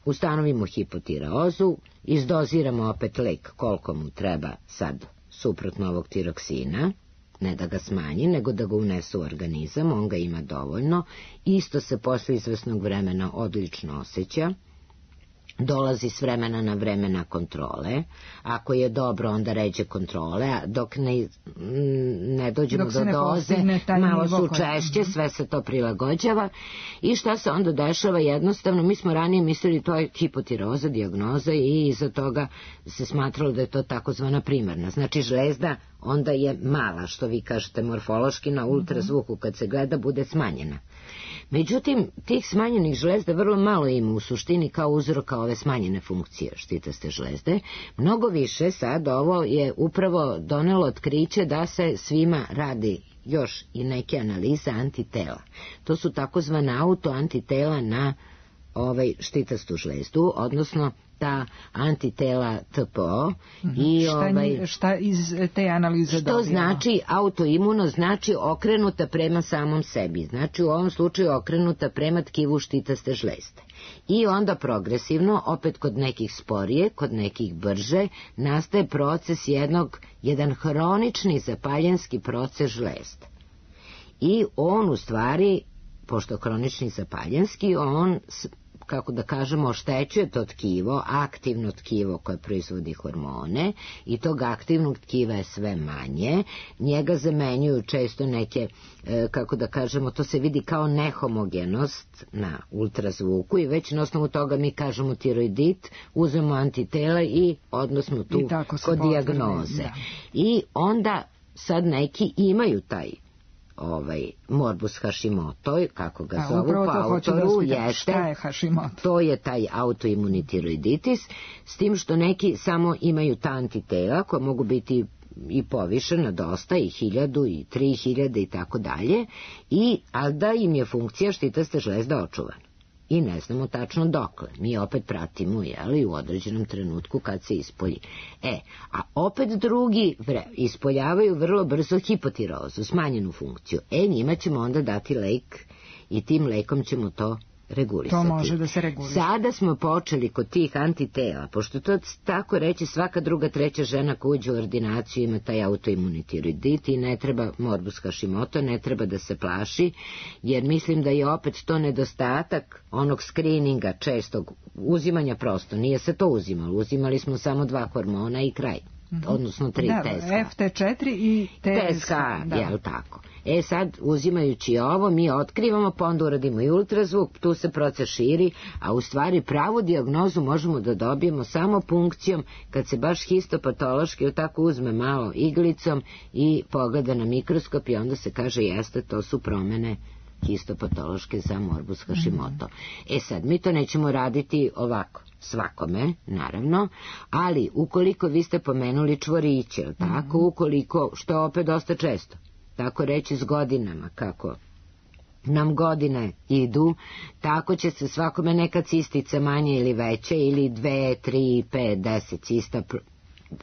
ustanovimo hipotirozu, izdoziramo opet lek koliko mu treba sad suprotno ovog tiroksina, ne da ga smanji, nego da ga unese u organizam, on ga ima dovoljno, isto se posle izvesnog vremena odlično osjeća, dolazi s vremena na vreme na kontrole, ako je dobro onda ređe kontrole, a dok ne dođemo do doze, malo su češće, sve se to prilagođava i šta se onda dešava, jednostavno mi smo ranije mislili to je hipotiroza, dijagnoza i iza toga se smatralo da je to takozvana primarna, znači žlezda onda je mala, što vi kažete morfološki na ultrazvuku kad se gleda bude smanjena. Međutim, tih smanjenih žlezda vrlo malo ima u suštini kao uzroka ove smanjene funkcije štitaste žlezde. Mnogo više sad ovo je upravo donelo otkriće da se svima radi još i neke analize antitela. To su takozvana autoantitela na štitastu žlezdu, odnosno ta antitela TPO i šta iz te analize što znači autoimuno, znači okrenuta prema samom sebi, znači u ovom slučaju okrenuta prema tkivu štitaste žlezde i onda progresivno, opet kod nekih sporije, kod nekih brže, nastaje proces jedan hronični zapaljenski proces žlezde i on u stvari, pošto hronični zapaljenski, on kako da kažemo, oštećuje to tkivo, aktivno tkivo koje proizvodi hormone i tog aktivnog tkiva je sve manje, njega zamenjuju često neke, kako da kažemo, to se vidi kao nehomogenost na ultrazvuku i već na osnovu toga mi kažemo tiroidit, uzmemo antitela i odnosno tu kod dijagnoze. I onda sad neki imaju taj morbus Hashimoto, kako ga zovu po autoru, to je taj autoimuni tiroiditis, s tim što neki samo imaju ta antitela koja mogu biti i povišena dosta, i 1000 i 3000 i tako dalje, ali da im je funkcija štitaste žlezda očuvana. I ne znamo tačno dokle. Mi opet pratimo, u određenom trenutku kad se ispolji. A opet drugi ispoljavaju vrlo brzo hipotirozu, smanjenu funkciju. Njima ćemo onda dati lek i tim lekom ćemo to regulisati. To može da se regulisati. Sada smo počeli kod tih antitela, pošto to tako reći svaka druga, treća žena koja uđe u ordinaciju ima taj autoimunitiroidit i ne treba morbus Hashimoto, ne treba da se plaši, jer mislim da je opet to nedostatak onog skrininga čestog uzimanja prosto. Nije se to uzimalo, uzimali smo samo 2 hormona i kraj. Odnosno 3 TSH. FT4 i TSH. Jel tako? Sad, uzimajući ovo, mi otkrivamo, pa onda uradimo i ultrazvuk, tu se proces širi, a u stvari pravu dijagnozu možemo da dobijemo samo punkcijom, kad se baš histopatološki tako uzme malo iglicom i pogleda na mikroskop i onda se kaže jeste, to su promene histopatološke za morbus Hashimoto. Sad, mi to nećemo raditi ovako svakome, naravno, ali ukoliko vi ste pomenuli čvoriće, tako, ukoliko, što opet dosta često, tako reći s godinama, kako nam godine idu, tako će se svakome neka cistica manje ili veće, ili 2, 3, 5, 10 cista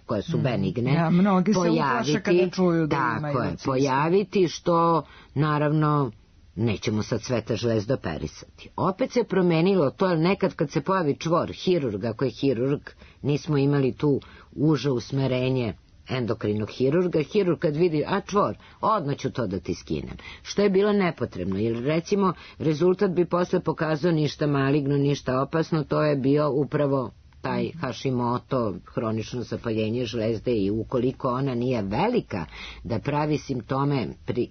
koje su benigne, mnogi se uplaše kada čuju da imaju cistu. Pojaviti, što naravno nećemo sad sve te žlezde operisati. Opet se promenilo to, nekad kad se pojavi čvor, hirurg, ako je hirurg, nismo imali tu uže usmerenje endokrinog hirurga, hirurg kad vidi, čvor, odmah ću to da ti skinem. Što je bilo nepotrebno, jer recimo rezultat bi posle pokazao ništa maligno, ništa opasno, to je bio upravo taj Hashimoto, hronično zapaljenje žlezde, i ukoliko ona nije velika da pravi simptome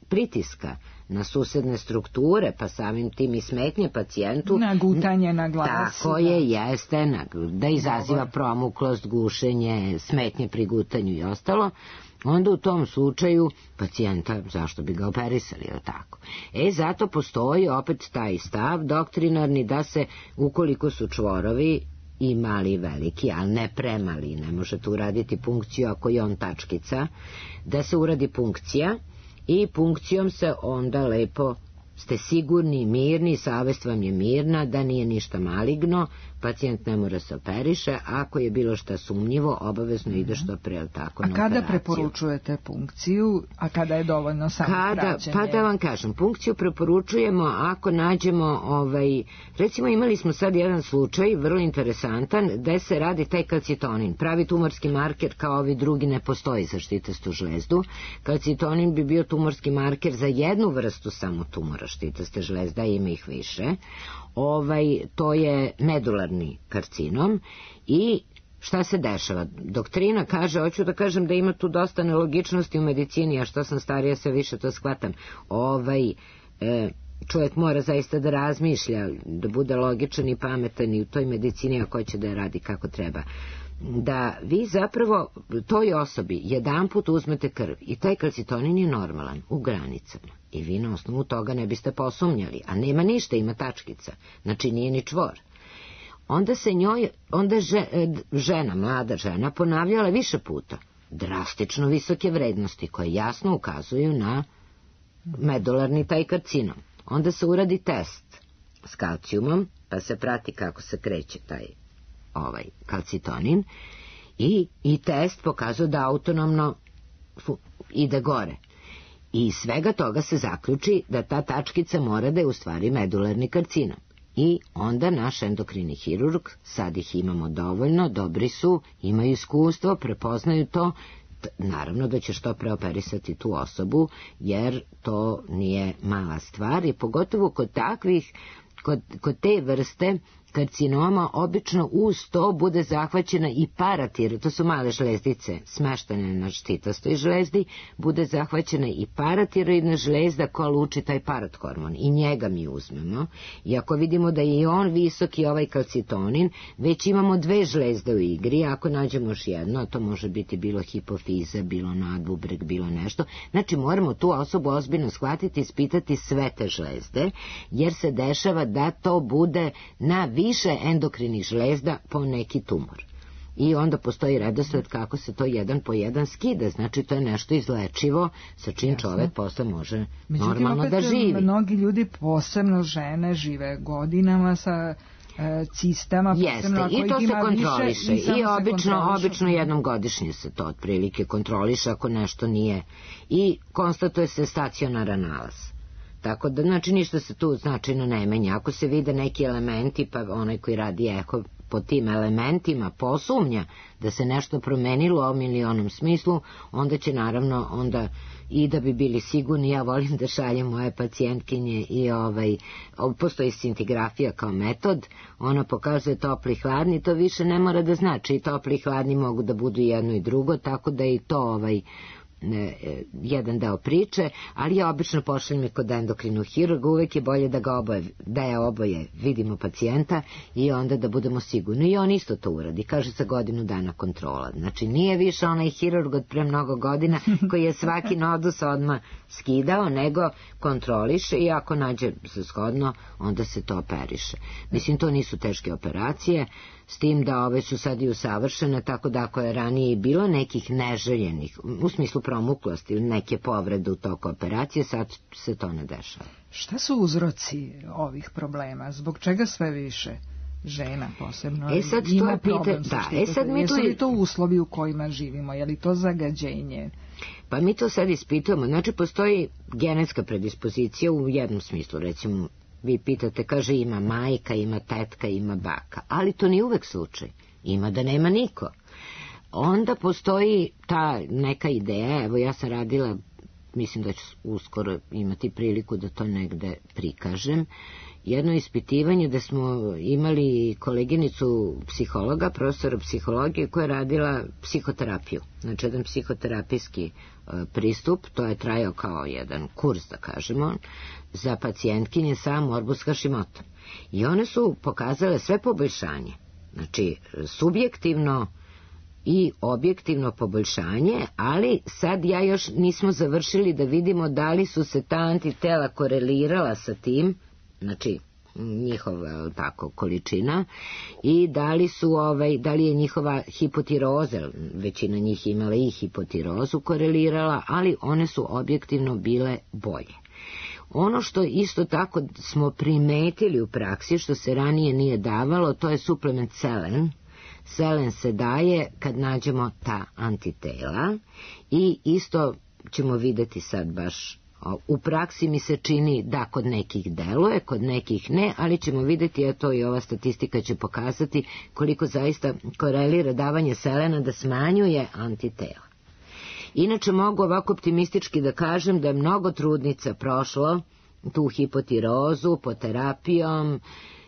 pritiska na susedne strukture, pa samim tim i smetnje pacijentu, nagutanje na glas, tako je, jeste, da izaziva promuklost, gušenje, smetnje pri gutanju i ostalo, onda u tom slučaju pacijenta, zašto bi ga operisali, je tako? Zato postoji opet taj stav doktrinarni da se, ukoliko su čvorovi i mali i veliki, ali ne premali, ne možete uraditi punkciju ako je on tačkica, da se uradi punkcija i punkcijom se onda lepo ste sigurni, mirni, savest vam je mirna da nije ništa maligno, pacijent ne mora se operiše, ako je bilo šta sumnjivo, obavezno ide što pre, tako, na operaciju. A kada preporučujete punkciju, a kada je dovoljno samo praćenje? Pa da vam kažem, punkciju preporučujemo ako nađemo, recimo imali smo sad jedan slučaj, vrlo interesantan, gde se radi taj kalcitonin, pravi tumorski marker, kao ovi drugi ne postoji za štitastu žlezdu. Kalcitonin bi bio tumorski marker za jednu vrstu samo tumora štitaste žlezda, ima ih više. To je medularni karcinom. I šta se dešava? Doktrina kaže, hoću da kažem da ima tu dosta nelogičnosti u medicini, a što sam starija sve više to shvatam. Čovjek mora zaista da razmišlja, da bude logičan i pametan i u toj medicini, ako će da je radi kako treba. Da vi zapravo toj osobi jedanput uzmete krv i taj kalcitonin je normalan, u granicama, i vi na osnovu toga ne biste posumnjali, a nema ništa, ima tačkica, znači nije ni čvor. Onda se njoj, žena, mlada žena, ponavljala više puta drastično visoke vrednosti koje jasno ukazuju na medularni taj karcinom. Onda se uradi test s kalcijumom, pa se prati kako se kreće taj kalcitonin, i test pokazuje da autonomno ide gore. I iz svega toga se zaključi da ta tačkica mora da je u stvari medularni karcinom. I onda naš endokrini hirurg, sad ih imamo dovoljno, dobri su, imaju iskustvo, prepoznaju to, naravno da će što preoperisati tu osobu, jer to nije mala stvar, i pogotovo kod takvih, kod te vrste karcinoma, obično uz to bude zahvaćena i paratiroidna, to su male žlezdice smeštene na štitastoj žlezdi, bude zahvaćena i paratiroidna žlezda koja luči taj parathormon, i njega mi uzmemo, i ako vidimo da je i on visoki, ovaj kalcitonin, već imamo 2 žlezde u igri, ako nađemo još jedno, a to može biti bilo hipofiza, bilo nadbubreg, bilo nešto, znači moramo tu osobu ozbiljno shvatiti, ispitati sve te žlezde, jer se dešava da to bude na više endokrinih žlezda po neki tumor. I onda postoji redosled kako se to jedan po jedan skida, znači to je nešto izlečivo sa čim čovek posle može normalno da živi. Međutim, mnogi ljudi, posebno žene, žive godinama sa cistama. Jeste, i to se kontroliše. I obično jednom godišnje se to otprilike kontroliše ako nešto nije. I konstatuje se stacionaran nalaz. Tako da, znači, ništa se tu značajno ne menja. Ako se vide neki elementi, pa onaj koji radi eho po tim elementima posumnja da se nešto promenilo u ovom ili onom smislu, onda će naravno onda i da bi bili sigurni, ja volim da šaljem moje pacijentkinje i postoji scintigrafija kao metod, ona pokazuje topli i hladni, to više ne mora da znači, i topli i hladni mogu da budu jedno i drugo, tako da i to jedan deo priče, ali ja obično pošaljem kod endokrinog hirurga, uvek je bolje da je oboje vidimo pacijenta i onda da budemo sigurni. I on isto to uradi, kaže za godinu dana kontrola. Znači nije više onaj hirurg od pre mnogo godina koji je svaki nodus odmah skidao, nego kontroliše i ako nađe se shodno, onda se to operiše. Mislim, to nisu teške operacije, s tim da ove su sad i usavršene, tako da ako je ranije bilo nekih neželjenih, u smislu promuklosti ili neke povrede u toku operacije, sad se to ne dešava. Šta su uzroci ovih problema? Zbog čega sve više žena posebno ima problem sa štitostom? Jesu li to uslovi u kojima živimo? Je li to zagađenje? Pa mi to sad ispitujemo. Znači, postoji genetska predispozicija u jednom smislu, recimo, vi pitate, kaže, ima majka, ima tetka, ima baka, ali to nije uvek slučaj. Ima da nema niko. Onda postoji ta neka ideja, evo ja sam radila, mislim da ću uskoro imati priliku da to negde prikažem, jedno ispitivanje da smo imali koleginicu psihologa, profesora psihologije koja je radila psihoterapiju, znači jedan psihoterapijski pristup, to je trajao kao jedan kurs, da kažemo, za pacijentkinje sa morbus Hashimoto. I one su pokazale sve poboljšanje, znači subjektivno i objektivno poboljšanje, ali sad ja još nismo završili da vidimo da li su se ta antitela korelirala sa tim, znači njihova tako količina, i da li je njihova hipotiroza, većina njih imala i hipotirozu korelirala, ali one su objektivno bile bolje. Ono što isto tako smo primetili u praksi, što se ranije nije davalo, to je suplement selen. Selen se daje kad nađemo ta antitela i isto ćemo videti sad baš u praksi mi se čini da kod nekih deluje, kod nekih ne, ali ćemo videti, a to i ova statistika će pokazati koliko zaista korelira davanje selena da smanjuje antitela. Inače mogu ovako optimistički da kažem da je mnogo trudnica prošlo tu hipotirozu pod terapijom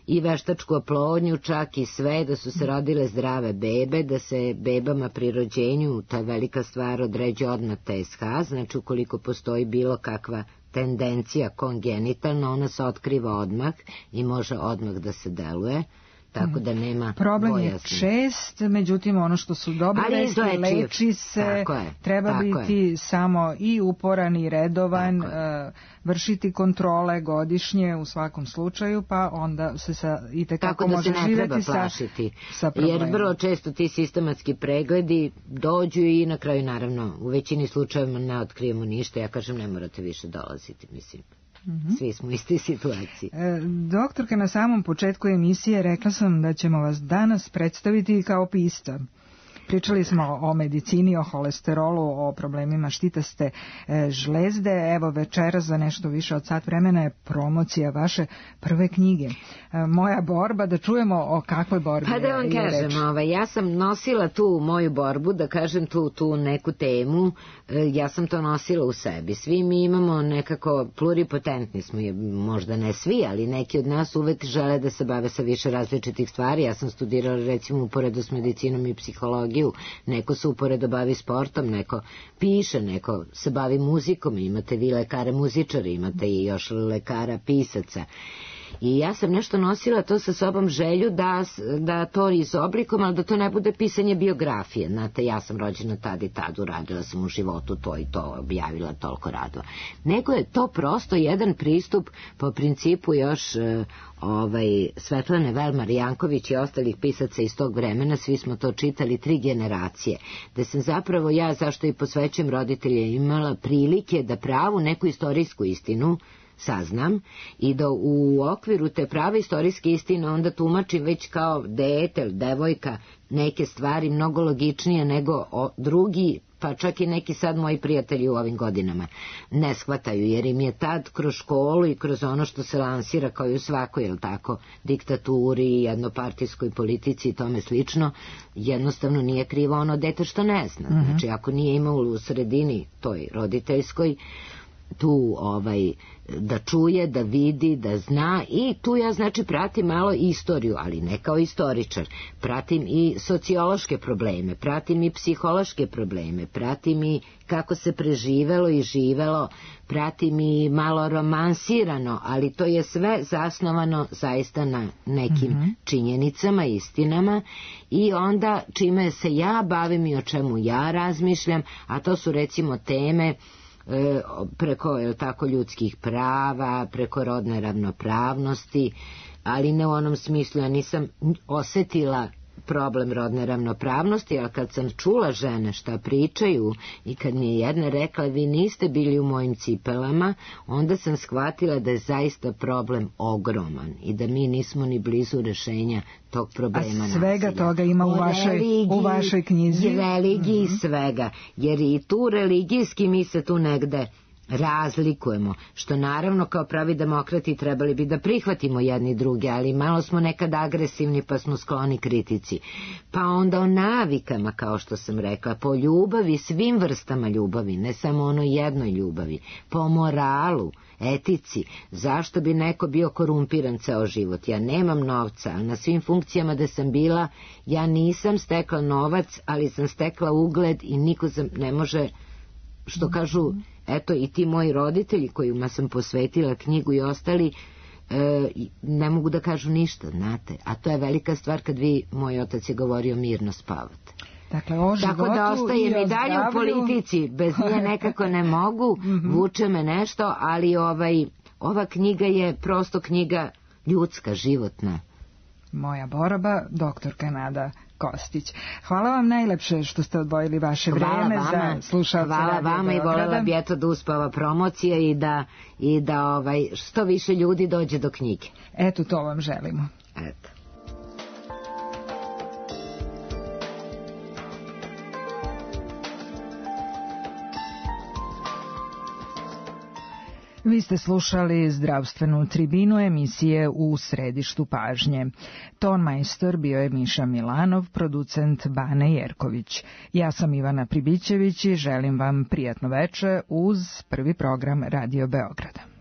i veštačku oplodnju, čak i sve, da su se rodile zdrave bebe, da se bebama pri rođenju, ta velika stvar, određuje odmah TSH, znači ukoliko postoji bilo kakva tendencija kongenitalna, ona se otkriva odmah i može odmah da se deluje, tako da nema problem bojazni. Je čest, međutim ono što su dobre vesti, leči se, treba biti samo i uporan i redovan, vršiti kontrole godišnje u svakom slučaju, pa onda se itekako može živjeti sa problemom. Jer vrlo često ti sistematski pregledi dođu i na kraju naravno u većini slučajeva ne otkrijemo ništa, ja kažem ne morate više dolaziti, mislim. Svi smo u istoj situaciji. Doktorka, na samom početku emisije rekla sam da ćemo vas danas predstaviti kao pisca. Pričali smo o medicini, o holesterolu, o problemima štitaste žlezde. Evo večeras za nešto više od sat vremena je promocija vaše prve knjige. Moja borba, da čujemo o kakvoj borbi je reč. Pa da vam kažem, ja sam nosila tu moju borbu, da kažem tu neku temu, ja sam to nosila u sebi. Svi mi imamo nekako, pluripotentni smo, možda ne svi, ali neki od nas uvek žele da se bave sa više različitih stvari. Ja sam studirala recimo uporedo s medicinom i psihologijom, neko se uporedo bavi sportom, neko piše, neko se bavi muzikom, imate vi lekare muzičari, imate i još lekara pisaca. I ja sam nešto nosila to sa sobom želju da to izoblikom, ali da to ne bude pisanje biografije. Znate, ja sam rođena tad i tad, uradila sam u životu to i to, objavila toliko radova. Nego je to prosto jedan pristup po principu još Svetlane Velmar Janković i ostalih pisaca iz tog vremena, svi smo to čitali 3 generacije, da sam zapravo ja, zašto i posvećujem roditelje, imala prilike da pravu neku istorijsku istinu saznam i da u okviru te prave istorijske istine onda tumačim već kao dete ili devojka neke stvari mnogo logičnije nego drugi pa čak i neki sad moji prijatelji u ovim godinama ne shvataju, jer im je tad kroz školu i kroz ono što se lansira kao i u svakoj, jel tako, diktaturi, jednopartijskoj politici i tome slično, jednostavno nije krivo ono dete što ne zna. Znači, ako nije imao u sredini toj roditeljskoj tu da čuje, da vidi, da zna, i tu ja znači pratim malo istoriju, ali ne kao istoričar, pratim i sociološke probleme, pratim i psihološke probleme, pratim i kako se preživelo i živelo, pratim i malo romansirano, ali to je sve zasnovano zaista na nekim činjenicama, istinama, i onda čime se ja bavim i o čemu ja razmišljam, a to su recimo teme preko tako ljudskih prava, preko rodne ravnopravnosti, ali ne u onom smislu, ja nisam osetila problem rodne ravnopravnosti, ali kad sam čula žene šta pričaju i kad mi je jedna rekla vi niste bili u mojim cipelama, onda sam shvatila da je zaista problem ogroman i da mi nismo ni blizu rešenja tog problema. A svega nasilja. Toga ima u vašoj knjizi. I religiji svega, jer i tu religijski mi se tu negde razlikujemo, što naravno kao pravi demokrati trebali bi da prihvatimo jedni druge, ali malo smo nekad agresivni pa smo skloni kritici. Pa onda o navikama, kao što sam rekla, po ljubavi, svim vrstama ljubavi, ne samo ono jednoj ljubavi, po moralu, etici, zašto bi neko bio korumpiran ceo život. Ja nemam novca, ali na svim funkcijama da sam bila, ja nisam stekla novac, ali sam stekla ugled i niko ne može, što kažu, eto i ti moji roditelji kojima sam posvetila knjigu i ostali, ne mogu da kažu ništa, znate, a to je velika stvar kad vi, moj otac je govorio, mirno spavate. Dakle, o životu. Tako da ostaje mi dalje u politici, bez nje nekako ne mogu, vuče me nešto, ali ova knjiga je prosto knjiga ljudska, životna. Moja borba, doktorka Nada Kostić. Hvala vam najlepše što ste odvojili vaše vreme za slušalce Radio Beograda. Hvala vama i voljela bi eto da uspava promocija i da što više ljudi dođe do knjige. Eto, to vam želimo. Eto. Vi ste slušali zdravstvenu tribinu emisije U središtu pažnje. Tonmajstor bio je Miša Milanov, producent Bane Jerković. Ja sam Ivana Pribićević i želim vam prijatno veče uz prvi program Radio Beograda.